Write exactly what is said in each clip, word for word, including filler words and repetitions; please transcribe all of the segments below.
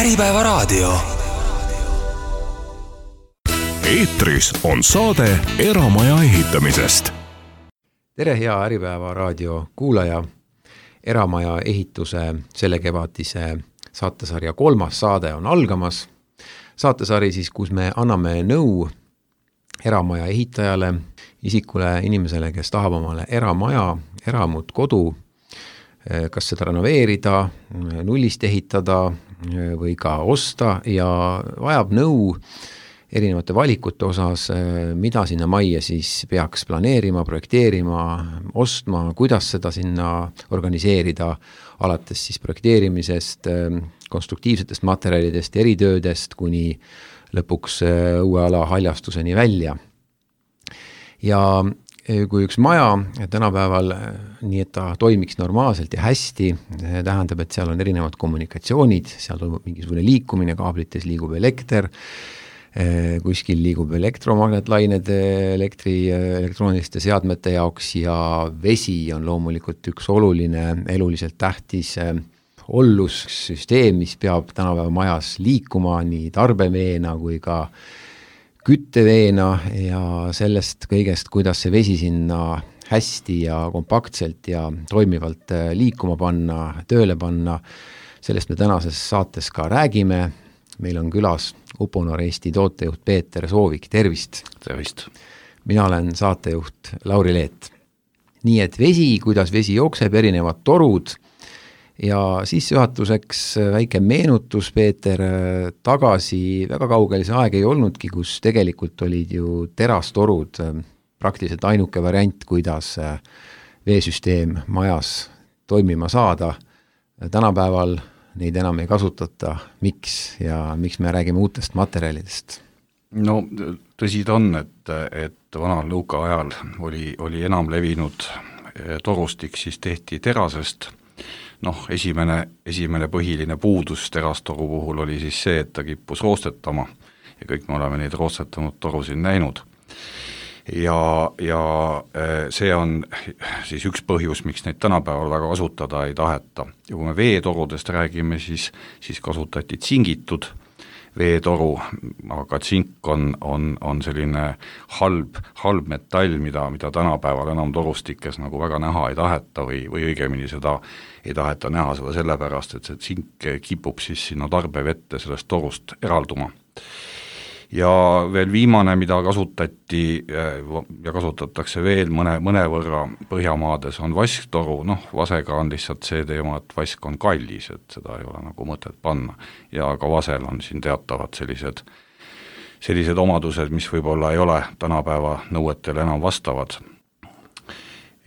Äripäeva raadio. Eetris on saade eramaja ehitamisest. Tere, hea Äripäeva raadio kuulaja. Eramaja ehituse selle kevadise saatesarja kolmas saade on algamas. Saatesari siis, kus me anname nõu eramaja ehitajale, isikule, inimesele, kes tahab omale eramaja, eramut, kodu, kas seda renoveerida, nullist ehitada või ka osta ja vajab nõu erinevate valikute osas, mida sinna majja siis peaks planeerima, projekteerima, ostma, kuidas seda sinna organiseerida, alates siis projekteerimisest, konstruktiivsetest materjalidest, eritöödest kuni lõpuks uue ala haljastuseni välja. Ja kui üks maja tänapäeval nii, et ta toimiks normaalselt ja hästi, tähendab, et seal on erinevad kommunikatsioonid, seal toimub mingisugune liikumine, kaablites liigub elekter, kuskil liigub elektromagnetlained elektri, elektrooniliste seadmete jaoks ja vesi on loomulikult üks oluline, eluliselt tähtis ollussüsteem, mis peab tänapäeva majas liikuma nii tarbeveena kui ka kütteveena ja sellest kõigest, kuidas see vesi sinna hästi ja kompaktselt ja toimivalt liikuma panna, tööle panna. Sellest me tänases saates ka räägime. Meil on külas Uponor Eesti tootejuht Peeter Soovik. Tervist! Tervist! Mina olen saatejuht Lauri Leet. Nii et vesi, kuidas vesi jookseb, erinevad torud ja siis juhatuseks väike meenutus, Peeter, tagasi väga kaugel see aeg ei olnudki, kus tegelikult olid ju terastorud praktiliselt ainuke variant, kuidas veesüsteem majas toimima saada. Tänapäeval neid enam ei kasutata. Miks ja miks me räägime uutest materjalidest? No tõsi ta on, et, et vanal nõuka ajal oli, oli enam levinud torustik, siis tehti terasest. Noh, esimene, esimene põhiline puudus terastoru puhul oli siis see, et ta kippus roostetama ja kõik me oleme neid roostetanud torusid näinud. Ja, ja see on siis üks põhjus, miks neid tänapäeval väga kasutada ei taheta. Ja kui me veetorudest räägime, siis, siis kasutati tsingitud veetoru, aga tsink on, on, on selline halb, halb metall, mida, mida tänapäeval enam torustikes nagu väga näha ei taheta või, või õigemini seda ei taheta näha seda sellepärast, et see tsink kipub siis sinna tarbevette sellest torust eralduma. Ja veel viimane, mida kasutati ja kasutatakse veel mõne, mõne võrra Põhjamaades on vasktoru, noh vasega on lihtsalt see teema, et vask on kallis, et seda ei ole nagu mõtet panna ja ka vasel on siin teatavad sellised, sellised omadused, mis võib-olla ei ole tänapäeva nõuetele enam vastavad.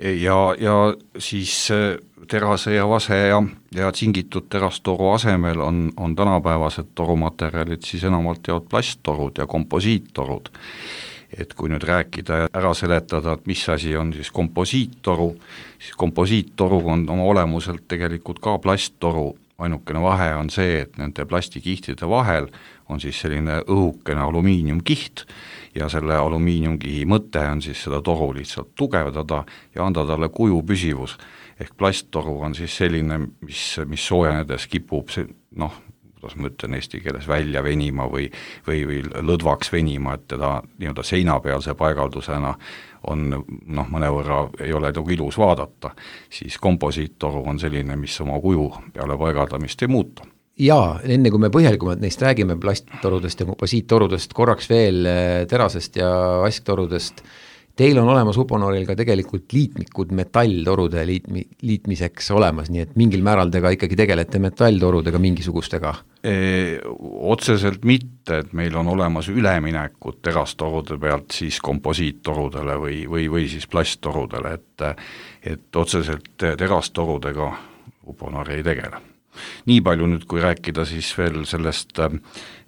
Ja, ja siis terase ja vase ja, ja tsingitud terastoru asemel on, on tänapäevased torumaterjalid siis enamalt jaolt plasttorud ja komposiittorud. Et kui nüüd rääkida ja ära seletada, et mis asi on siis komposiittoru, siis komposiittoru on oma olemuselt tegelikult ka plasttoru. Ainukene vahe on see, et nende plastikihtide vahel on siis selline õhukene alumiiniumkiht ja selle alumiiniumkihi mõte on siis seda toru lihtsalt tugevdada ja anda talle kuju püsivus. Ehk plasttoru on siis selline, mis, mis soojenedes kipub, noh, kuidas ma ütlen eesti keeles, välja venima või, või, või lõdvaks venima, et teda nii-öelda seinapealse paigaldusena on, noh, mõnevõrra ei ole nagu ilus vaadata, siis komposiittoru on selline, mis oma kuju peale paigaldamist ei muuta. Jaa, enne kui me põhjalikumalt neist räägime plasttorudest ja komposiittorudest, korraks veel terasest ja vasktorudest, teil on olemas Uponoril ka tegelikult liitmikud metalltorude liitmi, liitmiseks olemas, nii et mingil määral te ka ikkagi tegelete metalltorudega mingisugustega? E, otseselt mitte, et meil on olemas üleminekud terastorude pealt siis komposiittorudele või, või, või siis plasttorudele, et, et otseselt terastorudega Uponor ei tegele. Nii palju nüüd, kui rääkida siis veel sellest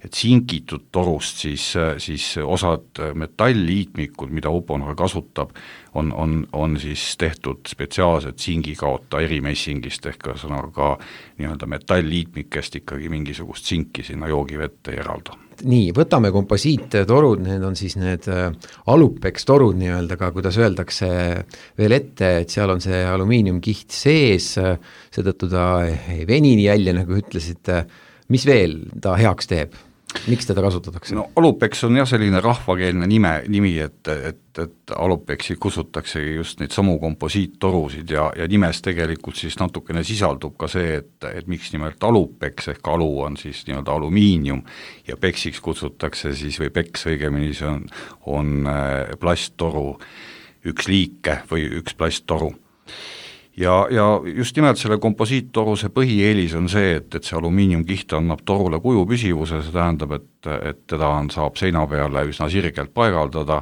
tsingitud torust, siis, siis osad metallliitmikud, mida Uponor kasutab, on, on, on siis tehtud spetsiaalselt tsingikaota erimessingist ehk ka nii-öelda metallliitmikest ikkagi mingisugust tsinki sinna joogivette ei eralda. Nii, võtame komposiittorud, need on siis need alupeks torud nii-öelda ka, kuidas öeldakse veel ette, et seal on see alumiiniumkiht sees, seetõttu ta ei veni nii välja, nagu ütlesite, mis veel ta heaks teeb? Miks teda kasutatakse? No Alupex on jah selline rahvakeelne nime, nimi, et, et, et Alupexi kusutaksegi just neid samu komposiittorusid ja, ja nimes tegelikult siis natukene sisaldub ka see, et, et miks nimelt Alupex ehk alu on siis nii-öelda alumiinium ja peksiks kutsutakse siis või peks õigemini see on, on plasttoru üks liike või üks plasttoru. Ja, ja just nimelt selle komposiittoru see põhieelis on see, et, et see alumiiniumkiht annab torule kuju püsivuse, see tähendab, et, et teda on, saab seina peale üsna sirgelt paigaldada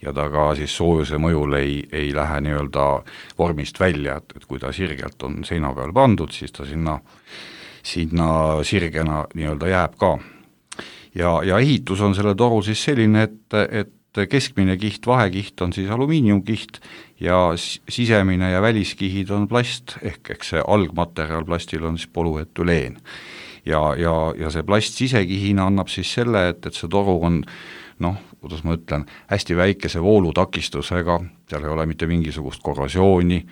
ja ta ka siis soojuse mõjul ei, ei lähe nii-öelda vormist välja, et, et kui ta sirgelt on seina peal pandud, siis ta sinna, sinna sirgena nii-öelda jääb ka. Ja, ja ehitus on selle toru siis selline, et, et keskmine kiht, vahekiht on siis alumiiniumkiht ja sisemine ja väliskihid on plast, ehk eks see algmaterjal plastil on siis polüetüleen. Ja, ja, ja see plast sisekihina annab siis selle, et, et see toru on, noh, kuidas ma ütlen, hästi väikese voolutakistusega, seal ei ole mitte mingisugust korrosiooni,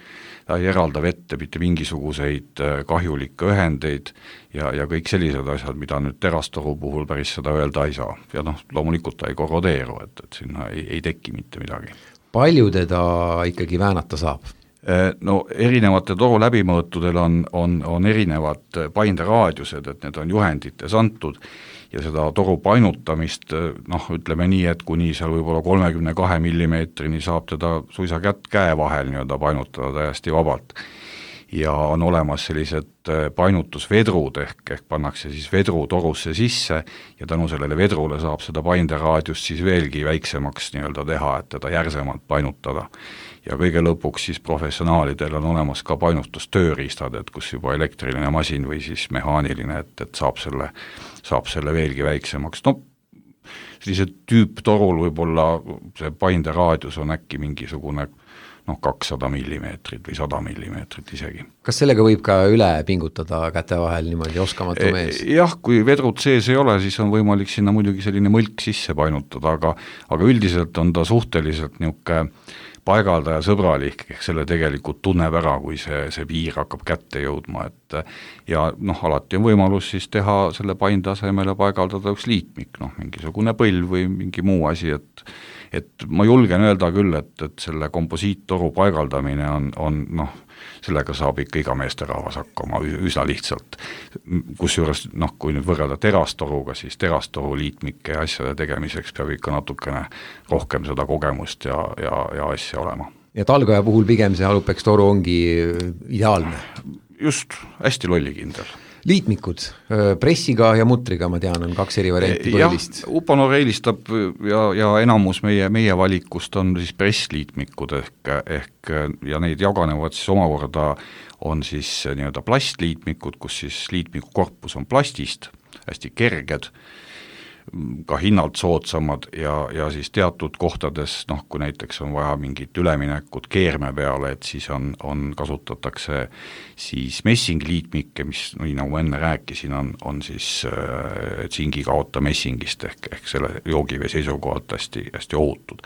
ta ei eralda vette mitte mingisuguseid kahjulikke ühendeid ja, ja kõik sellised asjad, mida nüüd terastoru puhul päris seda öelda ei saa. Ja noh, loomulikult ta ei korrodeeru, et, et sinna ei, ei teki mitte midagi. Palju teda ikkagi väänata saab? No erinevate toru läbimõõtudel on, on, on erinevad painderaadiused, et need on juhendites antud ja seda toru painutamist, noh, ütleme nii, et kuni seal võib-olla kolmekümne kahe millimeetrini saab teda suisa kätt käe vahel nii-öelda painutada täiesti vabalt. Ja on olemas sellised painutusvedrud, ehk, ehk pannakse siis vedru torusse sisse ja tänu sellele vedrule saab seda painderaadiust siis veelgi väiksemaks nii-öelda teha, et teda järsemalt painutada. Ja kõige lõpuks siis professionaalidel on olemas ka painutustööriistad, et kus juba elektriline masin või siis mehaaniline, et, et saab, selle, saab selle veelgi väiksemaks. No sellise tüüptorul võib-olla see painderaadius on äkki mingisugune noh, kakssada millimeetrit või sada millimeetrit isegi. Kas sellega võib ka üle pingutada käte vahel niimoodi oskamatu mees? Jah, kui vedrud sees ei ole, siis on võimalik sinna muidugi selline mõlk sisse painutada, aga, aga üldiselt on ta suhteliselt niisugune paigaldaja sõbralik, ehk selle tegelikult tunneb ära, kui see, see piir hakkab kätte jõudma, et ja noh, alati on võimalus siis teha selle painde asemele paigaldada üks liitmik, noh, mingisugune põlv või mingi muu asi, et et ma julgen öelda küll, et, et selle komposiittoru paigaldamine on, on noh, sellega saab ikka iga meesterahvas hakkama üsna lihtsalt. Kusjuures, noh, kui nüüd võrrelda terastoruga, siis terastoru liitmike ja asjade tegemiseks peab ikka natukene rohkem seda kogemust ja, ja, ja asja olema. Ja talgaja puhul pigem see Alupex toru ongi ideaalne? Just, hästi lollikindel. Liitmikud, pressiga ja mutriga, ma tean, on kaks eri varianti põhilist. Jah, Uponor eelistab ja, ja enamus meie, meie valikust on siis pressliitmikud ehk, ehk ja neid jaganevad siis omakorda on siis nii-öelda plastliitmikud, kus siis liitmiku korpus on plastist, hästi kerged, ka hinnalt soodsamad ja, ja siis teatud kohtades, noh, kui näiteks on vaja mingit üleminekut keerme peale, et siis on, on kasutatakse siis messingliitmikke, mis, nii nagu ma enne rääkisin, on, on siis äh, tsingi kaota messingist ehk, ehk selle joogivee seisukohalt hästi, hästi ohutud.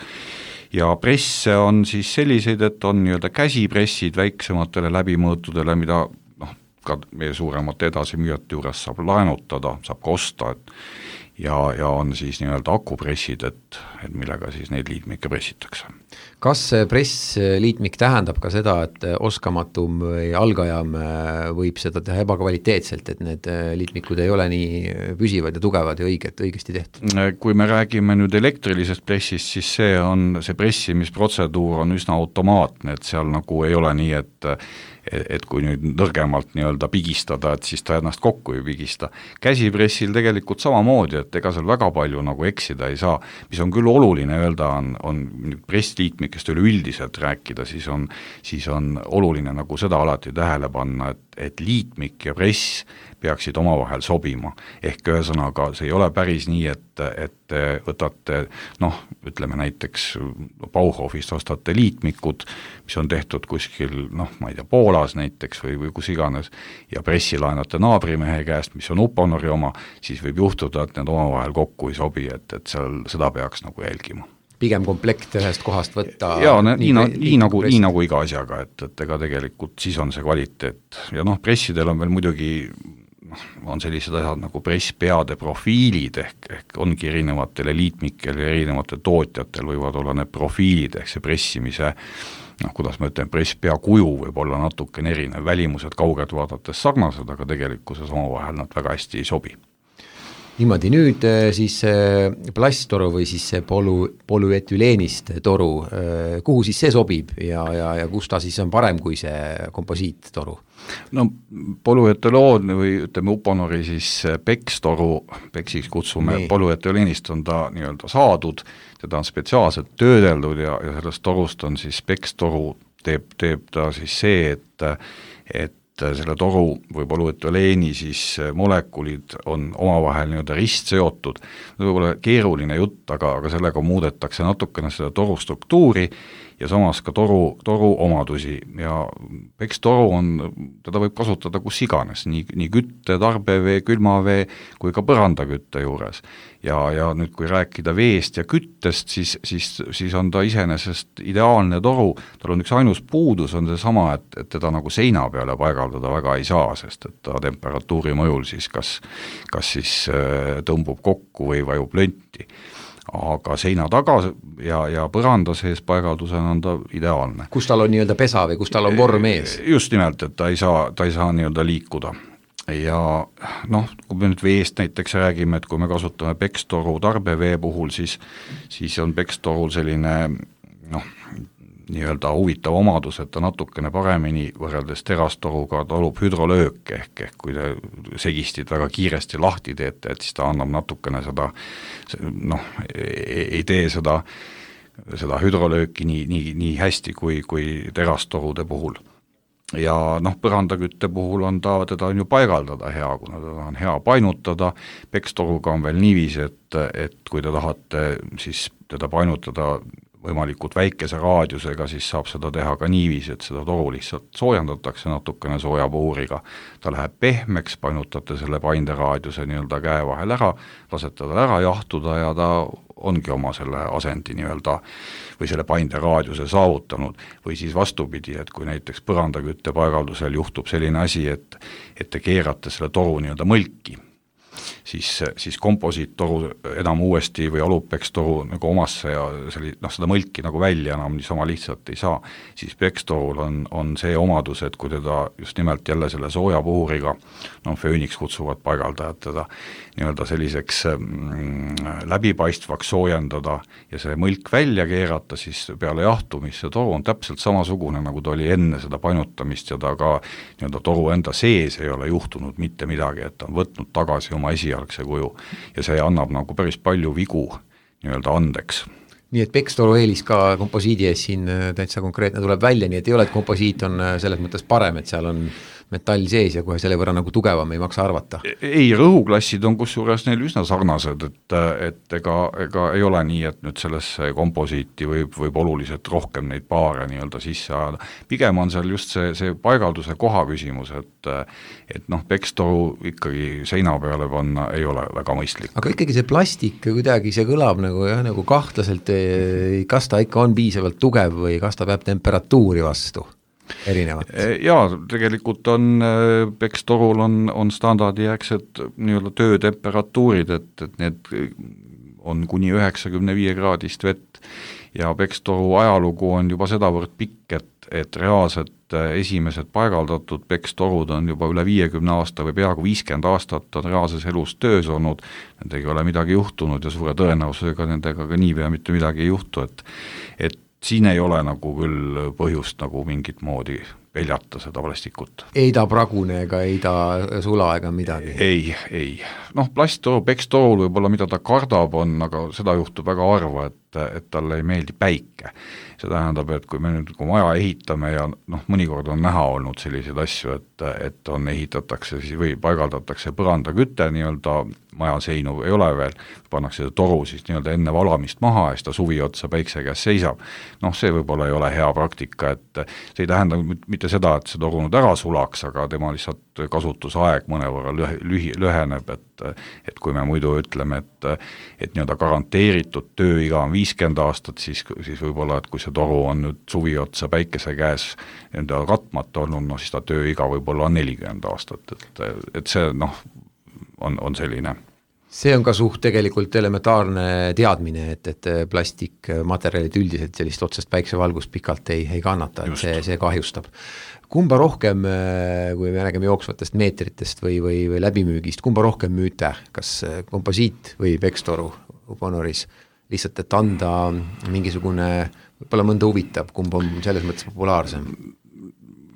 Ja presse on siis selliseid, et on nii-öelda käsipressid väiksematele läbimõõtudele, mida noh, ka meie suuremate edasimüüjate juures saab laenutada, saab ka osta, et ja, ja on siis nii-öelda akupressid, et, et millega siis neid liitmikke pressitakse. Kas pressliitmik tähendab ka seda, et oskamatum või algajam võib seda teha ebakvaliteetselt, et need liitmikud ei ole nii püsivad ja tugevad ja õiget, õigesti tehtud? Kui me räägime nüüd elektrilisest pressist, siis see on, see pressimisprotseduur on üsna automaatne, et seal nagu ei ole nii, et et kui nüüd nõrgemalt nii-öelda pigistada, et siis ta ennast kokku ei pigista. Käsipressil tegelikult samamoodi, et ega seal väga palju nagu eksida ei saa, mis on küll oluline öelda, on, on pressliitmikest üleüldiselt rääkida, siis on, siis on oluline nagu seda alati tähele panna, et, et liitmik ja press peaksid omavahel sobima. Ehk ühesõnaga, see ei ole päris nii, et, et võtate, noh, ütleme näiteks Bauhofist ostate liitmikud, mis on tehtud kuskil, noh, ma ei tea, Poolas näiteks või, või kus iganes, ja pressi laenate naabrimehe käest, mis on Uponori oma, siis võib juhtuda, et need omavahel kokku ei sobi, et, et seal seda peaks nagu jälgima. Pigem komplekt ühest kohast võtta. Jaa, nii, nii, nii, nagu, nii nagu iga asjaga, et, et ega tegelikult siis on see kvaliteet. Ja noh, pressidel on veel muidugi on sellised asjad nagu presspeade profiilid ehk, ehk ongi erinevatel liitmikel ja erinevatel tootjatel võivad olla need profiilid ehk see pressimise, noh, kuidas ma ütlen, presspea kuju võib olla natukene erinev, välimused kaugelt vaadates sarnased, aga tegelikkuses omavahel nad väga hästi ei sobi. Niimoodi, nüüd siis plasttoru või siis see polu, polüetüleenist toru, kuhu siis see sobib ja, ja, ja kus ta siis on parem kui see komposiittoru? No polüetüloon või ütleme Uponori siis pekstoru, peksiks kutsume, nii. Polüetüleenist on ta nii-öelda saadud, teda on spetsiaalselt töödeldud ja, ja sellest torust on siis pekstoru, teeb, teeb ta siis see, et, et selle toru või polüetüleeni siis molekulid on omavahel nii-öelda ristseotud. See võib olla keeruline jutt, aga, aga sellega muudetakse natukene seda toru struktuuri ja samas ka toru, toru omadusi ja pekstoru on, teda võib kasutada kus iganes, nii, nii kütte, tarbevee, külmavee kui ka põrandakütte juures. Ja, ja nüüd kui rääkida veest ja küttest, siis, siis, siis on ta iseenesest ideaalne toru, tal on üks ainus puudus, on see sama, et, et teda nagu seina peale paigaldada väga ei saa, sest et ta temperatuuri mõjul siis kas, kas siis tõmbub kokku või vajub lönti. Aga seina taga ja, ja põranda sees paigaldusena on ta ideaalne. Kus tal on nii-öelda pesa või kus tal on vorm ees? Just nimelt, et ta ei saa, ta ei saa nii-öelda liikuda. Ja noh, kui me nüüd veest näiteks räägime, et kui me kasutame pekstoru tarbevee puhul, siis, siis on pekstorul selline noh, nii-öelda huvitav omadus, et ta natukene paremini võrreldes terastoruga talub hüdrolööke ehk, ehk kui te segistid väga kiiresti lahti teete, et siis ta annab natukene seda, noh, ei tee seda, seda hüdrolööki nii, nii, nii hästi kui, kui terastorude puhul. Ja noh, põrandakütte puhul on ta, teda on ju paigaldada hea, kuna teda on hea painutada, pekstoruga on veel niiviisi, et, et kui te tahate siis teda painutada võimalikult väikese raadiusega, siis saab seda teha ka niiviisi, et seda toru lihtsalt soojendatakse natukene soojapuuriga. Ta läheb pehmeks, painutate selle painderaadiuse nii-öelda käe vahel ära, lasete tal ära jahtuda ja ta ongi oma selle asendi nii-öelda või selle painderaadiuse saavutanud. Või siis vastupidi, et kui näiteks põrandakütte paigaldusel juhtub selline asi, et, et te keerate selle toru nii-öelda mõlki, siis, siis komposiittoru enam uuesti või alupekstoru nagu omasse ja selli, noh, seda mõlki nagu välja enam niisama lihtsalt ei saa, siis pekstorul on, on see omadus, et kui teda just nimelt jälle selle soojapuhuriga, no fööniks kutsuvad paigaldajad teda nii-öelda selliseks mm, läbipaistvaks soojendada ja see mõlk välja keerata, siis peale jahtumist see toru on täpselt samasugune, nagu ta oli enne seda painutamist ja ta ka nii-öelda toru enda sees ei ole juhtunud mitte midagi, et ta on võtnud tagasi oma esialgse kuju ja see annab nagu päris palju vigu nii-öelda andeks. Nii et pekstoru eelis ka komposiidi ees siin täitsa konkreetne tuleb välja, nii et ei ole, et komposiit on selles mõttes parem, et seal on metall sees ja kohe selle võrra nagu tugevam ei maksa arvata. Ei, rõhuklassid on kusjuures neil üsna sarnased, et, et ega, ega ei ole nii, et nüüd sellesse komposiiti võib, võib oluliselt rohkem neid paare nii-öelda sisse ajada. Pigem on seal just see, see paigalduse koha küsimus, et, et noh, pekstoru ikkagi seina peale panna ei ole väga mõistlik. Aga ikkagi see plastik kuidagi, see kõlab nagu, jah, nagu kahtlaselt, kas ta ikka on piisavalt tugev või kas ta peab temperatuuri vastu? Erinevat. Jaa, tegelikult on pekstorul on, on standardijärgsed nii-öelda töötemperatuurid, et, et need on kuni üheksakümne viie kraadist vett ja pekstoru ajalugu on juba sedavõrd pikk, et, et reaalselt esimesed paigaldatud pekstorud on juba üle viiekümne aasta või peaaegu viiskümmend aastat on reaalses elus töös olnud, nendega ei ole midagi juhtunud ja suure tõenäosusega nendega ka niipea mitte midagi ei juhtu, et, et siin ei ole nagu küll põhjust nagu mingit moodi peljata seda plastikut. Ei ta pragune ega ei ta sula ega midagi? Ei, ei. Noh, plasttoru, pekstorul võib-olla mida ta kardab on, aga seda juhtub väga harva, et, et talle ei meeldi päike. See tähendab, et kui me nüüd kui maja ehitame ja noh, mõnikord on näha olnud selliseid asju, et, et on ehitatakse või paigaldatakse põrandaküte nii-öelda maja seinu ei ole veel, pannakse toru siis nii-öelda enne valamist maha ja siis ta suvi otsa päikse käes seisab. Noh, see võib-olla ei ole hea praktika, et see ei tähenda mitte seda, et see toru nüüd ära sulaks, aga tema lihtsalt kasutusaeg mõnevõrra lühi, lühi, lüheneb, et, et kui me muidu ütleme, et, et nii-öelda garanteeritud tööiga on viiskümmend aastat, siis, siis võib-olla, et kui see toru on nüüd suvi otsa päikese käes enda katmata olnud, no siis ta tööiga võib-olla on nelikümmend aastat, et, et see noh, on, on selline. See on ka suht tegelikult elementaarne teadmine, et, et plastikmaterjalid üldiselt sellist otsest päiksevalgust pikalt ei, ei kannata, et see, see kahjustab. Kumba rohkem, kui me räägime jooksvatest meetritest või, või, või läbimüügist, kumba rohkem müüte, kas komposiit või pekstoru Uponoris, lihtsalt, et anda mingisugune, võib-olla mõnda huvitab, kumb on selles mõttes populaarsem?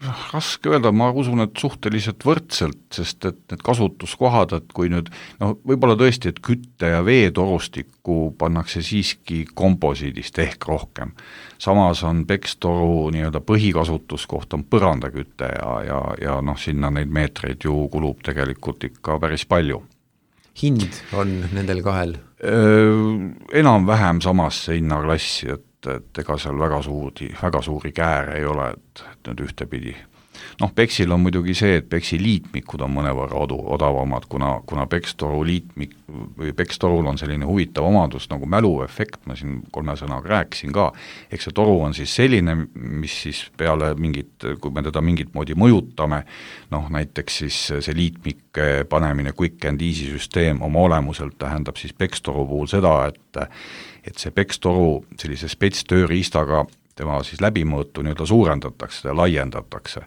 Raske öelda, ma usun, et suhteliselt võrdselt, sest et need kasutuskohad, et kui nüüd, no võib-olla tõesti, et kütte ja veetorustikku pannakse siiski komposiidist ehk rohkem. Samas on pekstoru nii-öelda põhikasutuskoht on põrandakütte ja, ja, ja noh, sinna neid meetreid ju kulub tegelikult ikka päris palju. Hind on nendel kahel? Enam-vähem samasse hinnaklassi, et et ega seal väga suuri, väga suuri kääre ei ole, et, et nüüd ühtepidi. Noh, peksil on muidugi see, et peksi liitmikud on mõnevõrra odu, odavamad, kuna, kuna pekstoru liitmik või pekstorul on selline huvitav omadus nagu mäluefekt, ma siin kolme sõnaga rääkisin ka, eks see toru on siis selline, mis siis peale mingit, kui me teda mingit moodi mõjutame, noh näiteks siis see liitmik panemine quick and easy süsteem oma olemuselt tähendab siis pekstoru puhul seda, et et see pekstoru sellise spetstööriistaga tema siis läbimõõtu nii-öelda suurendatakse ja laiendatakse.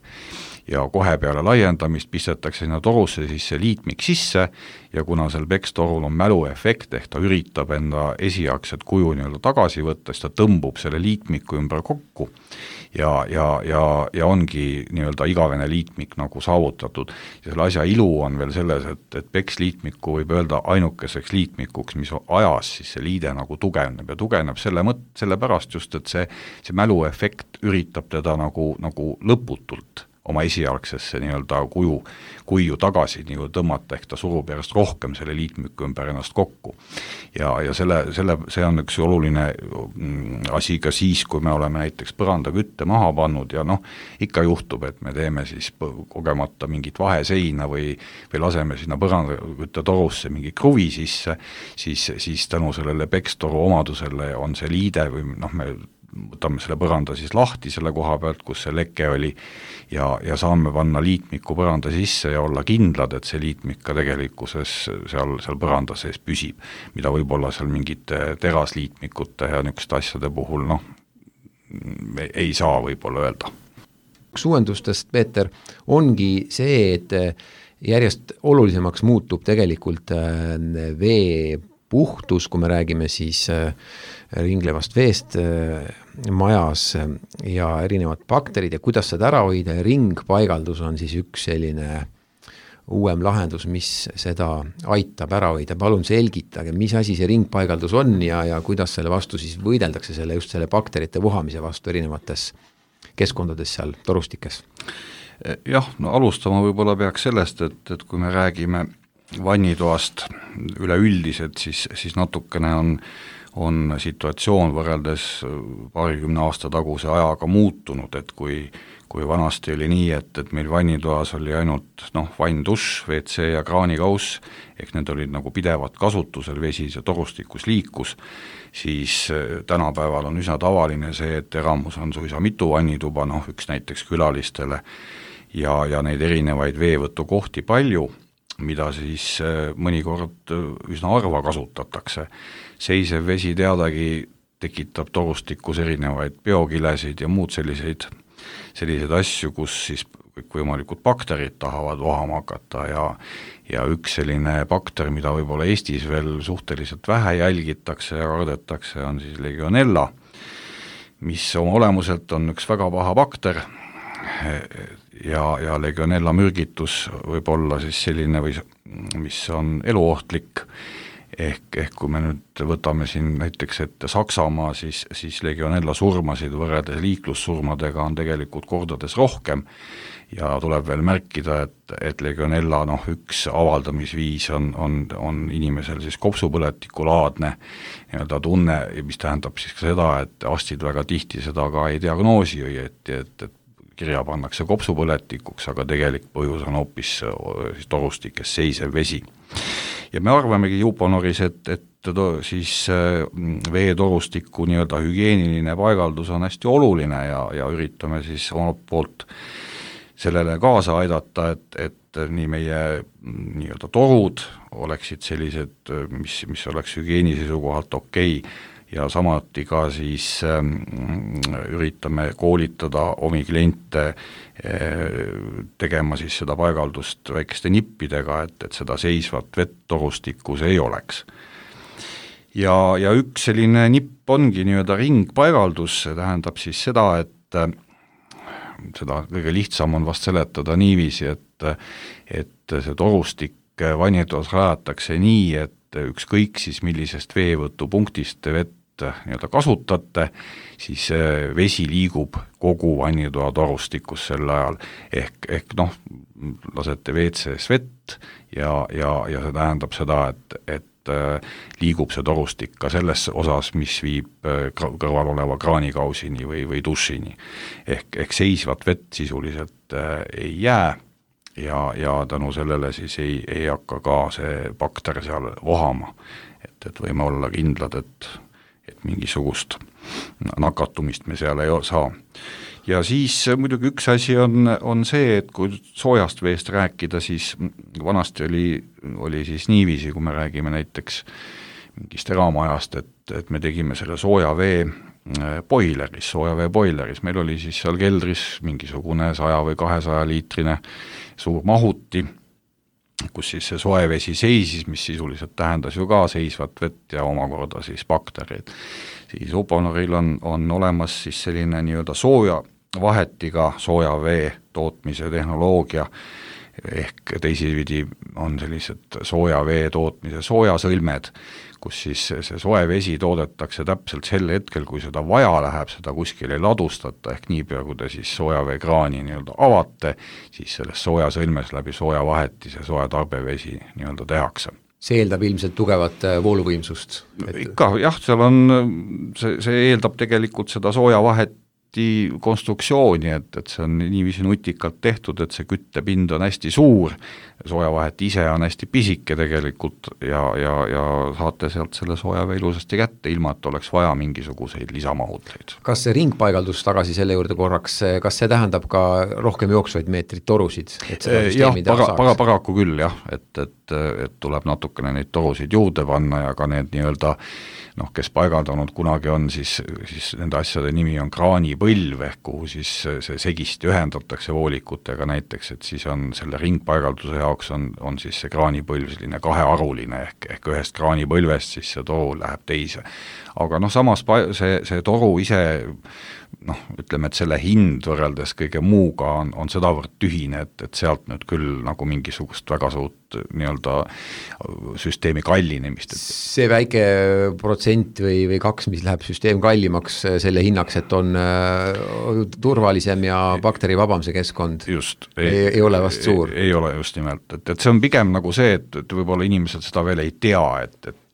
Ja kohe peale laiendamist pistetakse sinna torusse siis see liitmik sisse ja kuna seal pekstorul on mäluefekt, ehk ta üritab enda esiakset kuju nii-öelda tagasi võtta, siis ta tõmbub selle liitmiku ümber kokku ja, ja, ja, ja ongi nii-öelda igavene liitmik nagu saavutatud. Ja selle asja ilu on veel selles, et, et peksliitmiku võib öelda ainukeseks liitmikuks, mis ajas siis see liide nagu tugevneb ja tugevneb selle mõt, selle pärast just, et see, see mäluefekt üritab teda nagu, nagu lõputult oma esialgsesse nii-öelda kuju, kuju tagasi nii tõmmata, ehk ta surub järjest rohkem selle liitmiku ümber ennast kokku. Ja, ja selle, selle, see on üks oluline asi ka siis, kui me oleme näiteks põrandakütte maha pannud ja noh, ikka juhtub, et me teeme siis kogemata mingit vaheseina või, või laseme sinna põrandakütte torusse mingi kruvi sisse, siis, siis tänu sellele pekstoru omadusele on see liide või noh, me võtame selle põranda siis lahti selle koha pealt, kus see leke oli ja, ja saame panna liitmiku põranda sisse ja olla kindlad, et see liitmik ka tegelikkuses seal, seal põranda sees püsib, mida võib-olla seal mingite terasliitmikute ja niisuguste asjade puhul noh, ei saa võib-olla öelda. Üks uuendustest, Peeter, ongi see, et järjest olulisemaks muutub tegelikult vee puhtus, kui me räägime siis ringlevast veest majas ja erinevad bakterid ja kuidas seda ära hoida ja ringpaigaldus on siis üks selline uuem lahendus, mis seda aitab ära hoida. Palun selgitage, mis asi see ringpaigaldus on ja, ja kuidas selle vastu siis võideldakse selle, just selle bakterite vohamise vastu erinevates keskkondades seal torustikes? Jah, no alustama võib-olla peaks sellest, et, et kui me räägime vannitoast üleüldiselt, siis, siis natukene on, on situatsioon võrreldes paarikümne aasta taguse ajaga muutunud, et kui, kui vanasti oli nii, et, et meil vannitoas oli ainult noh, vann, dušš, V C ja kraanikauss, ehk need olid nagu pidevat kasutusel, vesi see torustikus liikus, siis tänapäeval on üsna tavaline see, et eramus on suisa mitu vannituba, noh üks näiteks külalistele ja, ja neid erinevaid veevõtukohti palju, mida siis mõnikord üsna harva kasutatakse. Seisev vesi teadagi tekitab torustikus erinevaid biokilesid ja muud selliseid, selliseid asju, kus siis kõikvõimalikud bakterid tahavad vohama hakata ja, ja üks selline bakter, mida võib-olla Eestis veel suhteliselt vähe jälgitakse ja kardetakse, on siis Legionella, mis oma olemuselt on üks väga paha bakter, ja, ja Legionella mürgitus võib olla siis selline, või, mis on eluohtlik, ehk, ehk kui me nüüd võtame siin näiteks ette Saksamaa, siis, siis Legionella surmasid võrreldes liiklussurmadega on tegelikult kordades rohkem ja tuleb veel märkida, et, et Legionella noh, üks avaldamisviis on, on, on inimesel siis kopsupõletikulaadne nii-öelda tunne, mis tähendab siis ka seda, et arstid väga tihti seda ka ei diagnoosi õieti, et, et kirja pannakse kopsupõletikuks, aga tegelik põhjus on hoopis siis torustikes seisev vesi. Ja me arvamegi Uponoris, et, et to, siis veetorustiku nii-öelda hügieeniline paigaldus on hästi oluline ja, ja üritame siis omalt poolt sellele kaasa aidata, et, et nii meie nii-öelda torud oleksid sellised, mis, mis oleks hügieeni seisukohalt okei ja samuti ka siis ähm, üritame koolitada omi kliente äh, tegema siis seda paigaldust väikeste nippidega, et, et seda seisvat vett torustikus ei oleks. Ja, ja üks selline nipp ongi nii-öelda ringpaigaldus, see tähendab siis seda, et äh, seda kõige lihtsam on vast seletada niiviisi, et, et see torustik vannitoas rajatakse nii, et ükskõik siis millisest veevõtupunktist te vett nii-öelda kasutate, siis vesi liigub kogu vannitoa torustikus sel ajal, ehk, ehk noh, lasete W C-s vett ja, ja, ja see tähendab seda, et, et liigub see torustik ka selles osas, mis viib kõrval oleva kraanikausini või, või dušini. Ehk, ehk seisvat vett sisuliselt ei jää ja, ja tänu sellele siis ei, ei hakka ka see bakter seal vohama. Et, et võime olla kindlad, et et mingisugust nakatumist me seal ei saa. Ja siis muidugi üks asi on, on see, et kui soojast veest rääkida, siis vanasti oli, oli siis niiviisi, kui me räägime näiteks mingist eramajast, et, et me tegime selle sooja vee boileris, sooja vee boileris, meil oli siis seal keldris mingisugune saja või kahesaja liitrine suur mahuti, kus siis see soe vesi seisis, mis sisuliselt tähendas ju ka seisvat vett ja omakorda siis bakterid. Siis Uponoril on, on olemas siis selline nii-öelda sooja vahetiga sooja vee tootmise tehnoloogia, ehk teisipidi on sellised sooja vee tootmise soojasõlmed, kus siis see soe vesi toodetakse täpselt sel hetkel, kui seda vaja läheb, seda kuskil ei ladustata, ehk niipea, kui te siis soojaveekraani nii-öelda avate, siis selles soojasõlmes läbi sooja vaheti see sooja tarbevesi nii-öelda tehakse. See eeldab ilmselt tugevat vooluvõimsust? Et... Ikka, jah, seal on, see, see eeldab tegelikult seda sooja vahet konstruktsiooni, et, et see on niiviisi nutikalt tehtud, et see küttepind on hästi suur, soojavahet ise on hästi pisike tegelikult ja, ja, ja saate sealt selle soojavee ilusasti kätte, ilma et oleks vaja mingisuguseid lisamahutleid. Kas see ringpaigaldus tagasi selle juurde korraks, kas see tähendab ka rohkem jooksvaid meetrit torusid? Et jah, para, para, paraku küll jah, et, et, et tuleb natukene neid torusid juurde panna ja ka need nii-öelda noh, kes paigaldanud kunagi on, siis, siis nende asjade nimi on kraanipõlv, ehk kuhu siis see segisti ühendatakse voolikutega näiteks, et siis on selle ringpaigalduse jaoks on, on siis see kraanipõlv selline kahearuline, ehk, ehk ühest kraanipõlvest siis see toru läheb teise. Aga noh, samas see, see toru ise, noh, ütleme, et selle hind võrreldes kõige muuga on, on sedavõrd tühine, et, et sealt nüüd küll nagu mingisugust väga suurt nii-öelda süsteemi kallinemist. See väike protsent või, või kaks, mis läheb süsteem kallimaks selle hinnaks, et on äh, turvalisem ja bakterivabam see keskkond, just, ei, ei, ei ole vast suur. Ei, ei ole just nimelt, et, et see on pigem nagu see, et, et võib-olla inimesed seda veel ei tea, et, et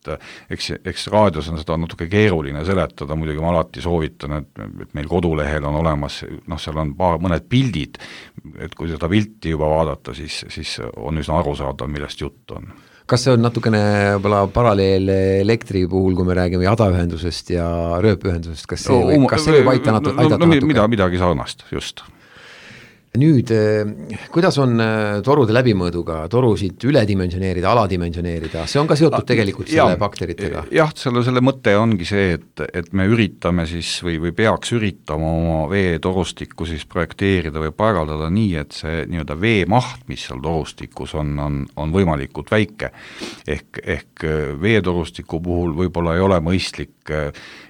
eks, eks raadios on seda natuke keeruline seletada, muidugi ma alati soovitan, et, et meil kodulehel on olemas, noh, seal on paar, mõned pildid, et kui seda pilti juba vaadata, siis, siis on üsna arusaadav, millest jutt on. Kas see on natukene paralleel elektri puhul, kui me räägime jadaühendusest ja rööpühendusest, kas see, no, kas see võib aita natu, aidata no, no, natuke? Mida, midagi sarnast, just. Nüüd, kuidas on torude läbimõõduga, torusid üledimensioneerida, aladimensioneerida, see on ka seotud tegelikult selle ja, bakteritega? Jah, selle, selle mõte ongi see, et, et me üritame siis või, või peaks üritama oma veetorustikku siis projekteerida või paigaldada nii, et see nii-öelda veemaht, mis seal torustikus on, on, on võimalikult väike. Ehk, ehk veetorustiku puhul võib-olla ei ole mõistlik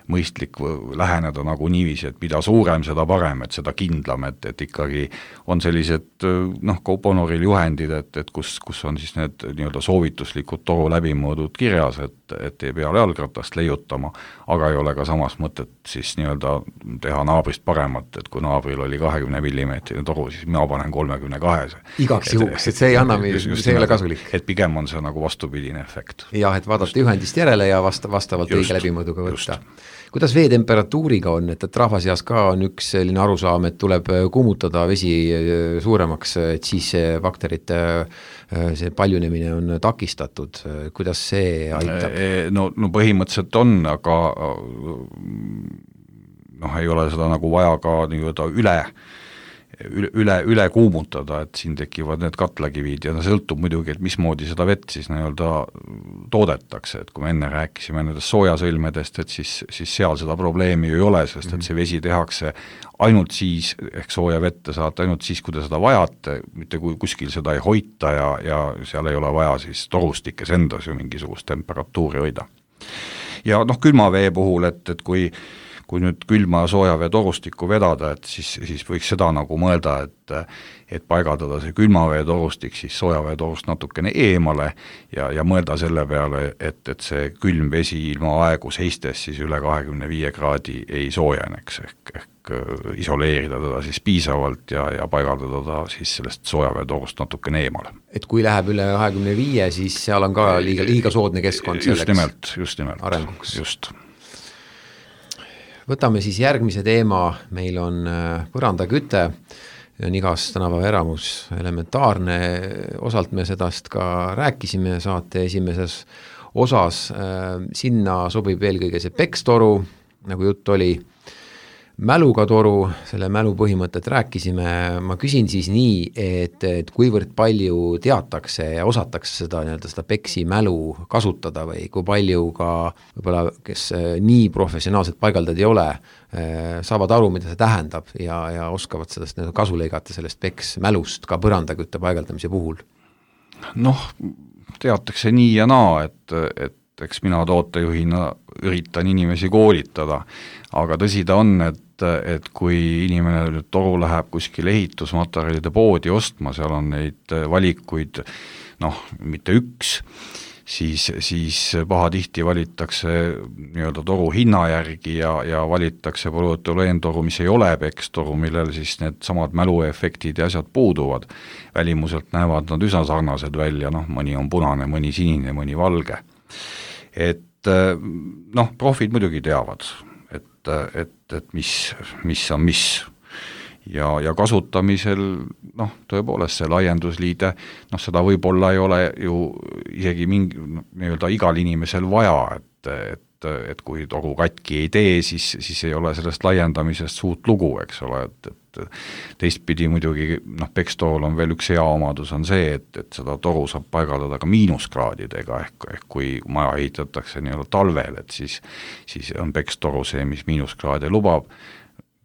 mõistlik läheneda nagu niiviisi, et mida suurem, seda parem, et seda kindlam, et, et ikkagi on sellised, noh, ka Uponoril juhendid, et, et kus, kus on siis need nii-öelda soovituslikud toru läbimõõdud kirjas, et, et ei pea jalgratast leiutama, aga ei ole ka samas mõtet siis nii-öelda teha naabrist paremat, et kui naabril oli kahekümne millimeetrine toru, siis mina panen kolmekümne kahese. Igaks juhuks, et see ei anna, see ei ole kasulik. Et pigem on see nagu vastupidine efekt. Jah, et vaadata juhendist järele ja vasta, vastavalt just, õige läbimõõduga võtta. Just. Kuidas veetemperatuuriga on, et, et rahva seas ka on üks selline arusaam, et tuleb kuumutada vesi suuremaks, et siis see bakterite see paljunemine on takistatud, kuidas see aitab? No, no põhimõtteliselt on, aga noh, ei ole seda nagu vaja ka nii-öelda üle üle, üle kuumutada, et siin tekivad need katlakivid ja see sõltub muidugi, et mismoodi seda vett siis nii-öelda toodetakse, et kui me enne rääkisime nendest soojasõlmedest, et siis, siis seal seda probleemi ju ei ole, sest et see vesi tehakse ainult siis, ehk sooja vette saate ainult siis, kui te seda vajate, mitte kui kuskil seda ei hoita ja, ja seal ei ole vaja siis torustikes endas ju mingisugust temperatuuri hoida. Ja noh, külma vee puhul, et, et kui kui nüüd külma ja sooja vee torustikku vedada, et siis, siis võiks seda nagu mõelda, et, et paigaldada see külmavee torustik siis soojavee torust natukene eemale ja, ja mõelda selle peale, et, et see külm vesi ilma aegu seistes siis üle kahekümne viie kraadi ei soojeneks, ehk, ehk isoleerida teda siis piisavalt ja, ja paigaldada ta siis sellest soojavee torust natukene eemale. Et kui läheb üle kahekümne viie, siis seal on ka liiga, liiga soodne keskkond selleks just nimelt, just nimelt, arenguks. Just. Võtame siis järgmise teema, meil on põrandaküte, on igas tänapäeva eramus elementaarne, osalt me sedast ka rääkisime saate esimeses osas, sinna sobib eelkõige see pekstoru, nagu jutt oli, mäluga toru, selle mälu põhimõtet rääkisime, ma küsin siis nii, et, et kuivõrd palju teatakse ja osatakse seda, nii-öelda seda peksi mälu kasutada või kui palju ka võib-olla, kes nii professionaalselt paigaldad ei ole, saavad aru, mida see tähendab ja, ja oskavad sellest kasu lõigata sellest peks mälust ka põrandakütte paigaldamise puhul? Noh, teatakse nii ja naa, et, et eks mina tootejuhina üritan inimesi koolitada, aga tõsi ta on, et, et kui inimene nüüd toru läheb kuskil ehitusmaterjalide poodi ostma, seal on neid valikuid, noh, mitte üks, siis, siis pahatihti valittakse nii-öelda toru hinna järgi ja, ja valittakse polüetüleentoru, mis ei ole pekstoru, millel siis need samad mäluefektid ja asjad puuduvad. Välimuselt näevad nad üsna sarnased välja, noh, mõni on punane, mõni sinine, mõni valge. Et noh, profid muidugi teavad, et, et, et mis, mis on mis ja, ja kasutamisel noh, tõepoolest see laiendusliide, noh seda võib-olla ei ole ju isegi mingi nii-öelda igal inimesel vaja, et, et, et kui toru katki ei tee, siis, siis ei ole sellest laiendamisest suurt lugu, eks ole, et, et teistpidi muidugi, noh, pekstorul on veel üks hea omadus on see, et, et seda toru saab paigaldada ka miinuskraadidega, ehk, ehk kui maja ehitatakse nii-öelda talvel, et siis, siis on pekstoru see, mis miinuskraade lubab,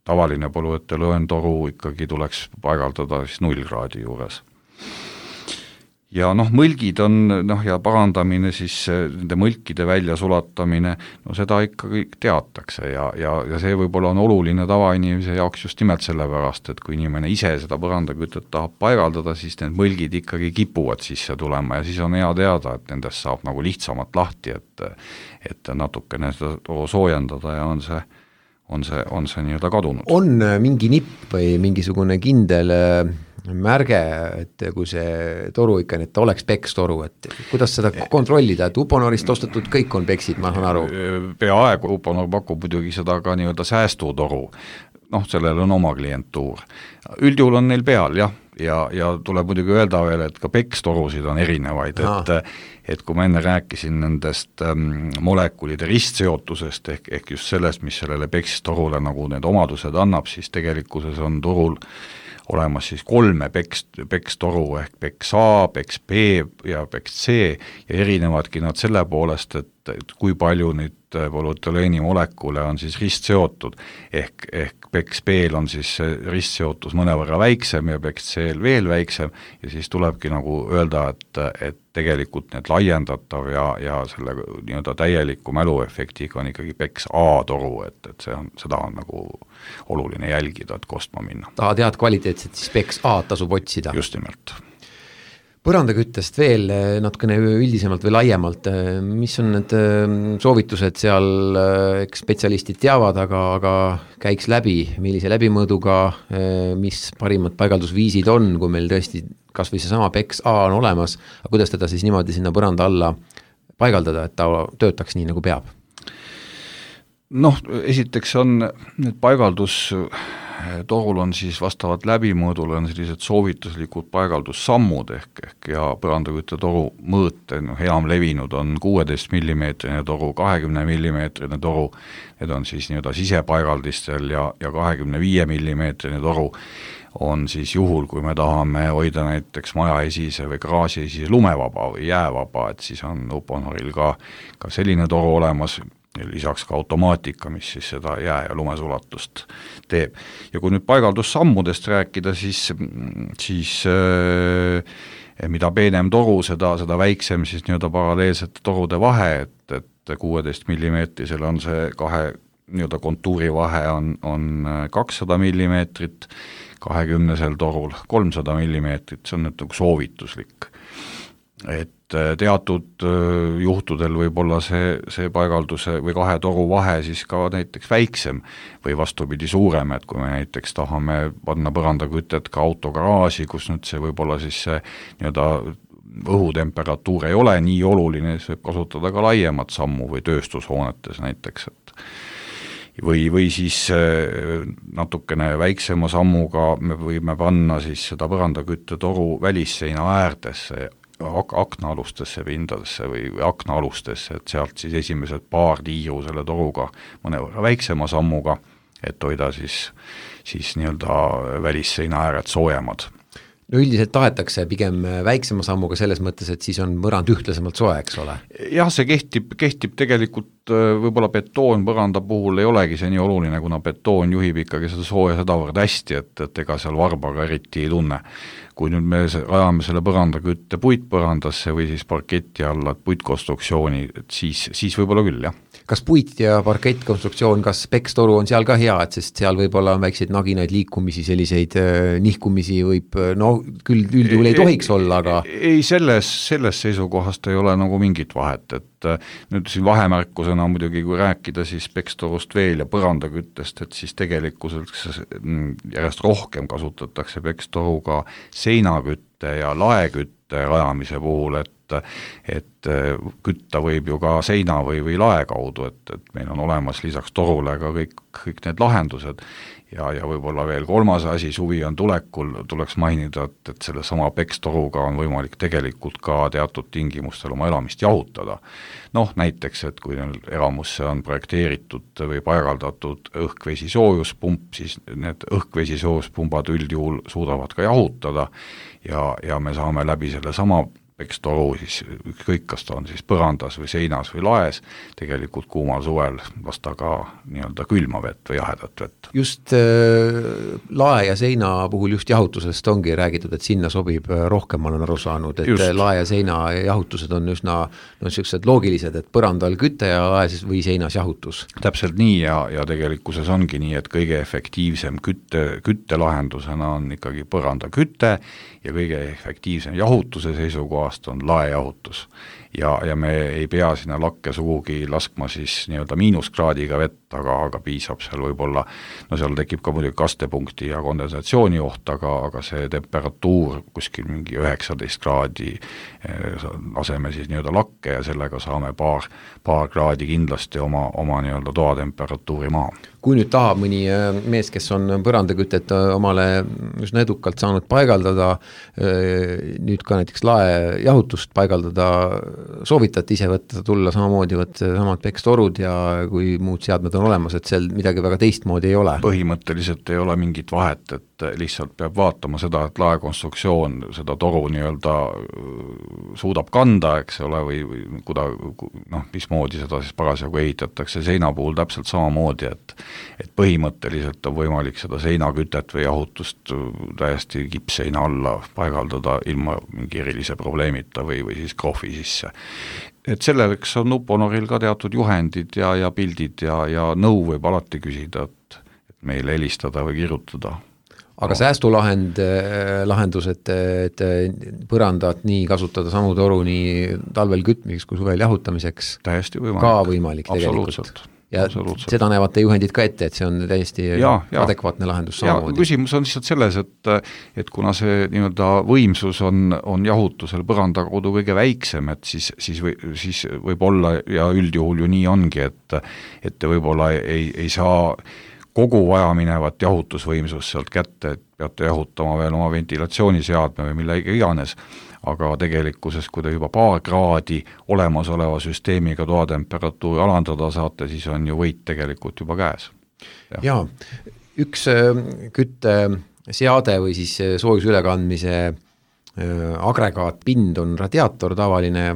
tavaline polüetüleentoru ikkagi tuleks paigaldada siis null kraadi juures. Ja noh, mõlgid on, noh ja parandamine siis, nende mõlkide välja sulatamine, no seda ikka kõik teatakse ja, ja, ja see võib-olla on oluline tavainimese jaoks just nimelt sellepärast, et kui inimene ise seda põrandakütet tahab paigaldada, siis need mõlgid ikkagi kipuvad sisse tulema ja siis on hea teada, et nendest saab nagu lihtsamalt lahti, et, et natukene seda soojendada ja on see on see, on see nii-öelda kadunud. On mingi nipp või mingisugune kindel märge, et kui see toru ikka, et ta oleks pekstoru, et kuidas seda kontrollida, et Uponorist ostetud kõik on peksid, ma saan aru? Peaaegu Uponor pakub muidugi seda ka nii-öelda säästutoru, noh, sellel on oma klientuur. Üldjuhul on neil peal, jah, ja, ja tuleb muidugi öelda veel, et ka pekstorusid on erinevaid, et, et kui ma enne rääkisin nendest ähm, molekulide ristseotusest ehk, ehk just sellest, mis sellele pekstorule nagu need omadused annab, siis tegelikkuses on turul olemas siis kolme peks, pekstoru ehk peks A, peks B ja peks C ja erinevadki nad selle poolest, et, et kui palju neid polüetüleeni molekule on siis ristseotud ehk, ehk peks B-l on siis ristseotus mõnevõrra väiksem ja peks C-l veel väiksem ja siis tulebki nagu öelda, et, et tegelikult need laiendatav ja, ja selle nii-öelda täieliku mäluefektiga on ikkagi peks A-toru, et, et see on, seda on nagu oluline jälgida, et kostma minna. Tahad head kvaliteetset, siis peks A tasub otsida. Just nimelt. Põrandaküttest veel natukene üldisemalt või laiemalt, mis on need soovitused seal, eks spetsialistid teavad, aga, aga käiks läbi, millise läbimõõduga, mis parimad paigaldusviisid on, kui meil tõesti kas või see sama peks A on olemas, aga kuidas teda siis niimoodi sinna põranda alla paigaldada, et ta töötaks nii, nagu peab? Noh, esiteks on need paigaldus torul on siis vastavalt läbimõõdule on sellised soovituslikud paigaldussammud ehk, ehk ja põrandakütte toru mõõte, noh, enam levinud on kuueteist millimeetrine toru, kahekümne millimeetrine toru, need on siis nii-öelda sisepaigaldistel ja, ja kahekümne viie millimeetrine toru on siis juhul, kui me tahame hoida näiteks maja esise või garaaži esise lumevaba või jäävaba, et siis on Uponoril ka, ka selline toru olemas, lisaks ka automaatika, mis siis seda jää- ja lumesulatust teeb. Ja kui nüüd paigaldussammudest rääkida, siis, siis äh, mida peenem toru, seda, seda väiksem siis nii-öelda paralleelsete torude vahe, et, et kuueteist millimeetrisel on see kahe nii-öelda kontuuri vahe on, on kakssada millimeetrit, kahekümnesel torul kolmsada millimeetrit, see on nüüd nagu soovituslik. Et teatud juhtudel võib olla see, see paigalduse või kahe toru vahe siis ka näiteks väiksem või vastupidi suurem, et kui me näiteks tahame panna põrandakütet ka autogaraaži, kus nüüd see võib olla siis see nii-öelda õhutemperatuur ei ole nii oluline, siis võib kasutada ka laiemat sammu või tööstushoonetes näiteks, et või, või siis natukene väiksema sammuga me võime panna siis seda põrandakütte toru välisseina äärdesse ak- aknaalustesse pindadesse või, või aknaalustesse, et sealt siis esimesed paar tiiru selle toruga mõnevõrra väiksema sammuga, et hoida siis, siis nii-öelda välisseina ääred soojemad. No üldiselt tahetakse pigem väiksema sammuga selles mõttes, et siis on põrand ühtlasemalt soe, eks ole? Jah, see kehtib, kehtib tegelikult võib-olla betoon põranda puhul ei olegi see nii oluline, kuna betoon juhib ikkagi seda sooja sedavõrd hästi, et, et ega seal varbaga eriti ei tunne. Kui nüüd me rajame selle põrandakütte puitpõrandasse või siis parketi alla puitkonstruktsiooni, et siis, siis võib-olla küll, jah. Kas puit ja parkettkonstruktsioon, kas pekstoru on seal ka hea, et sest seal võib-olla on väikseid naginaid liikumisi, selliseid äh, nihkumisi võib, no küll üldjuhul ei tohiks ei, olla, aga ei, selles, selles seisukohast ei ole nagu mingit vahet, et äh, nüüd siin vahemärkusena muidugi, kui rääkida siis pekstorust veel ja põrandaküttest, et siis tegelikult järjest rohkem kasutatakse pekstoruga seinakütte ja laekütte rajamise puhul, et et kütta võib ju ka seina või, või lae kaudu, et, et meil on olemas lisaks torule ka kõik, kõik need lahendused ja, ja võib-olla veel kolmas asi, suvi on tulekul, tuleks mainida, et, et selle sama pekstoruga on võimalik tegelikult ka teatud tingimustel oma elamist jahutada. Noh, näiteks, et kui elamusse on projekteeritud või paigaldatud õhkvesi soojuspump, siis need õhkvesi soojuspumbad üldjuhul suudavad ka jahutada ja, ja me saame läbi selle sama pekstoru, siis ükskõik, kas ta on siis põrandas või seinas või laes, tegelikult kuumal suvel lasta ka nii-öelda külma vett või jahedat vett. Just äh, lae ja seina puhul just jahutusest ongi räägitud, et sinna sobib rohkem, ma olen aru saanud, et just. Lae ja seina jahutused on üsna no, sellised loogilised, et põrandal küte ja laes või seinas jahutus. Täpselt nii ja, ja tegelikkuses ongi nii, et kõige efektiivsem kütte, küttelahendusena on ikkagi põrandaküte ja kõige efektiivsem jahutuse seisukohast on laejahutus. Ja, ja me ei pea sinna lakke sugugi laskma siis nii-öelda miinuskraadiga vett, aga, aga piisab seal võib-olla, no seal tekib ka muidugi kastepunkti ja kondensatsiooni oht, aga, aga see temperatuur kuskil mingi üheksateist kraadi laseme siis nii-öelda lakke ja sellega saame paar, paar kraadi kindlasti oma, oma nii-öelda toatemperatuuri maha. Kui nüüd tahab mõni mees, kes on põrandakütet omale üsna edukalt saanud paigaldada, nüüd ka näiteks lae jahutust paigaldada, soovitati ise võtta, tulla samamoodi võtta samad pekstorud ja kui muud seadmed on olemas, et seal midagi väga teistmoodi ei ole. Põhimõtteliselt ei ole mingit vahet, et lihtsalt peab vaatama seda, et laekonstruktsioon seda toru nii-öelda suudab kanda, eks ole, või, või kuda, noh, mismoodi seda siis parasjagu ehitatakse seina puhul täpselt samamoodi, et et põhimõtteliselt on võimalik seda seinakütet või jahutust täiesti kipseina alla paigaldada ilma mingi erilise probleemita või, või siis krohvi sisse. Et selleks on Uponoril ka teatud juhendid ja, ja pildid ja, ja nõu võib alati küsida, et, et meile helistada või kirjutada. Aga säästulahend, lahendus, et, et põrandat nii kasutada samu toru nii talvel kütmiseks kui suvel jahutamiseks täiesti võimalik. Ka võimalik tegelikult. Ja seda näevad te juhendid ka ette, et see on täiesti ja, ja. adekvaatne lahendus samamoodi. Küsimus on lihtsalt selles, et, et kuna see nii-öelda võimsus on, on jahutusel põranda kaudu kõige väiksem, et siis, siis, või, siis võib olla ja üldjuhul ju nii ongi, et, et te võib-olla ei, ei saa kogu vajaminevat jahutusvõimsust sealt kätte, et peate jahutama veel oma ventilatsiooniseadme või millega iganes, aga tegelikkuses, kui te juba paar kraadi olemasoleva süsteemiga toatemperatuuri alandada saate, siis on ju võit tegelikult juba käes. Ja, ja üks kütteseade või siis soojusülekandmise agregaatpind on radiaator, tavaline,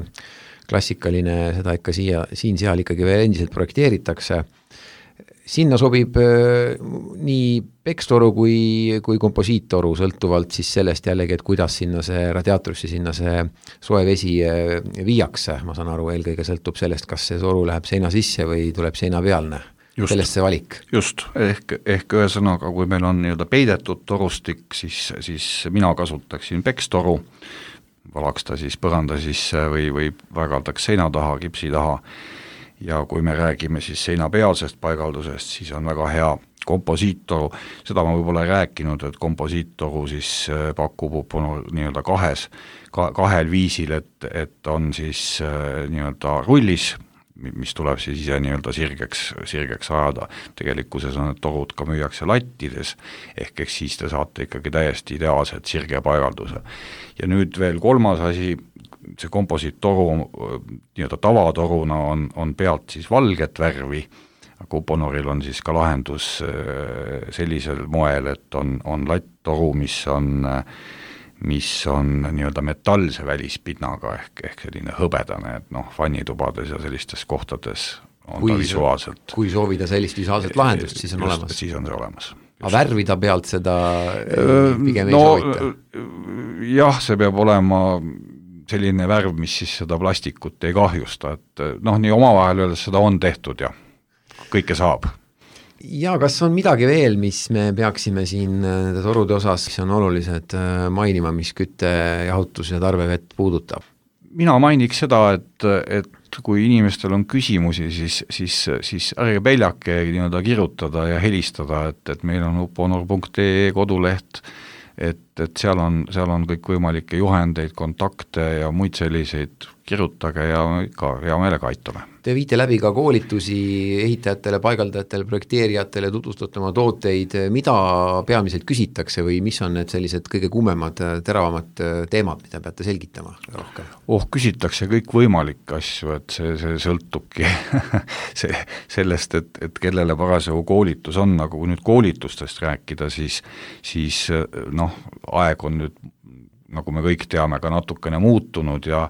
klassikaline, seda ikka siia, siin-seal ikkagi veel endiselt projekteeritakse. Sinna sobib nii pekstoru kui, kui komposiittoru, sõltuvalt siis sellest jällegi, et kuidas sinna see radiaatorisse, sinna see soe vesi viiakse. Ma saan aru, eelkõige sõltub sellest, kas see toru läheb seina sisse või tuleb seina pealne. Just, sellest see valik. Just, ehk, ehk ühesõnaga, kui meil on nii-öelda peidetud torustik, siis, siis mina kasutaksin pekstoru, valaks ta siis põranda sisse või, või vägaldaks seina taha, kipsi taha, ja kui me räägime siis seina pealsest paigaldusest, siis on väga hea komposiittoru, seda ma võib-olla ei rääkinud, et komposiittoru siis pakub nii-öelda kahes, kahel viisil, et, et on siis nii-öelda rullis, mis tuleb siis ise nii-öelda sirgeks, sirgeks ajada. Tegelikkuses on need torud ka müüakse lattides, ehk eks siis te saate ikkagi täiesti ideaalset sirge paigalduse. Ja nüüd veel kolmas asi, see komposiittoru nii-öelda tavatoruna on, on pealt siis valget värvi, aga Uponoril on siis ka lahendus sellisel moel, et on, on latttoru, mis on mis on nii-öelda metallse välispinnaga ehk, ehk selline hõbedane, et noh, vannitubades ja sellistes kohtades on kui ta visuaalselt. Kui soovida sellist visuaalset lahendust, siis on just, olemas. Siis on see olemas. Aga värvida pealt seda pigem no, ei soovita? Jah, see peab olema selline värv, mis siis seda plastikut ei kahjusta, et noh, nii omavahel öeldes seda on tehtud ja kõike saab. Ja kas on midagi veel, mis me peaksime siin nende torude osas, mis on olulised mainima, mis kütte, jahutus ja tarvevett puudutab? Mina mainiks seda, et, et kui inimestel on küsimusi, siis, siis, siis ärge peljake nii-öelda kirjutada ja helistada, et, et meil on uponor punkt ee koduleht, et, et seal on, seal on kõik võimalikke juhendeid, kontakte ja muid selliseid, kirjutage ja ikka hea meelega aitame. Te viite läbi ka koolitusi ehitajatele, paigaldajatele, projekteerijatele, tutvustate oma tooteid, mida peamiselt küsitakse või mis on need sellised kõige kuumemad, teravamad teemad, mida peate selgitama rohkem? Oh, küsitakse kõik võimalikke asju, et see, see sõltubki see, sellest, et, et kellele parasjagu koolitus on, aga kui nüüd koolitustest rääkida, siis, siis noh, aeg on nüüd, nagu me kõik teame, ka natukene muutunud ja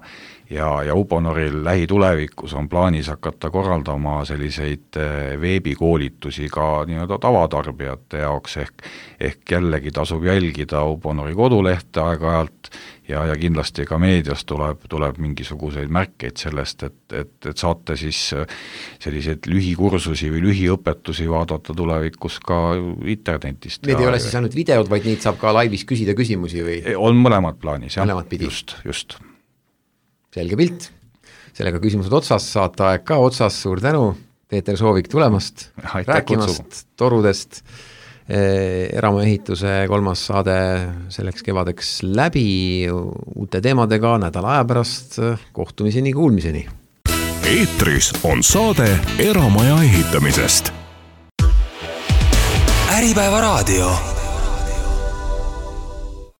ja, ja Uponoril lähitulevikus on plaanis hakata korraldama selliseid veebikoolitusi ka nii-öelda tavatarbijate jaoks, ehk, ehk jällegi tasub jälgida Uponori kodulehte aeg-ajalt ja, ja kindlasti ka meedias tuleb, tuleb mingisuguseid märkeid sellest, et, et, et saate siis selliseid lühikursusi või lühiõpetusi vaadata tulevikus ka internetist. Need ei ole siis ainult videod, vaid neid saab ka laivis küsida küsimusi või? On mõlemad plaanis, jah. Mõlemad pidi. Just, just. Selge pilt. Sellega küsimused otsas, saate aeg ka otsas, suur tänu, Peeter Soovik tulemast, Aitäh rääkimast kutsugu. Torudest, eramuehituse kolmas saade selleks kevadeks läbi, uute teemadega nädala aja pärast, kohtumiseni, kuulmiseni. Eetris on saade Eramaja ehitamisest. Äripäeva raadio.